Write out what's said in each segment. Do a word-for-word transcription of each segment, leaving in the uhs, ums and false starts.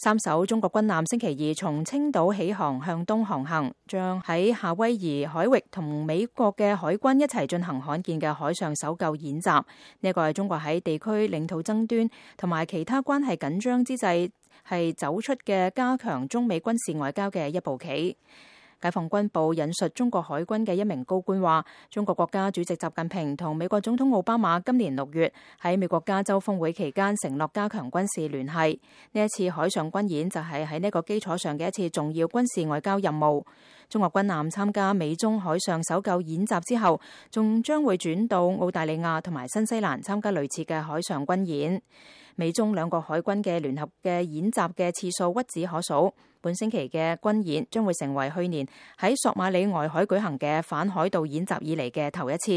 三艘中國軍艦星期二從青島起航向東航行，將喺夏威夷海域同美國嘅海軍一齊進行罕見嘅海上搜救演習。呢個係中國喺地區領土爭端同埋其他關係緊張之際係走出嘅加強中美軍事外交嘅一步棋。解放軍報引述中國海軍嘅一名高官話，中國國家主席習近平同美國總統奧巴馬今年六月喺美國加州峰會期間承諾加強軍事聯繫。呢一次海上軍演就係喺呢個基礎上嘅一次重要軍事外交任務。中國軍艦參加美中海上搜救演習之後，仲將會轉到澳大利亞同埋新西蘭參加類似嘅海上軍演。美中兩國海軍嘅聯合嘅演習嘅次數屈指可數。本星期嘅軍演將會成為去年喺索馬里外海舉行嘅反海盜演習以嚟嘅頭一次。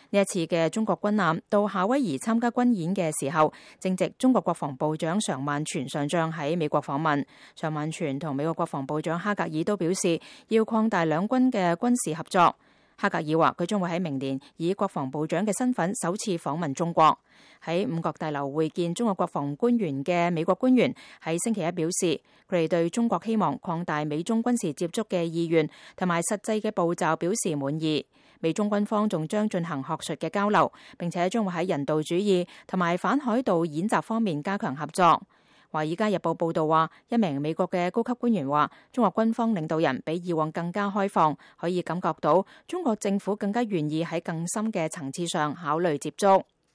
呢一次嘅中國軍艦到夏威夷參加軍演嘅時候，正值中國國防部長常萬全上將喺美國訪問。常萬全同美國國防部長哈格爾都表示要擴大兩軍嘅軍事合作。哈格爾話佢將會喺明年以國防部長嘅身份首次訪問中國。喺五角大樓會見中國國防官員嘅美國官員喺星期一表示，佢哋對中國希望擴大美中軍事接觸嘅意願同埋實際嘅步驟表示滿意。美中軍方仲將進行學術嘅交流，並且將會喺人道主義同埋反海盜演習方面加強合作。華爾街日報報道話，一名美國嘅高級官員話，中國軍方領導人比以往更加開放，可以感覺到中國政府更加願意喺更深嘅層次上考慮接觸。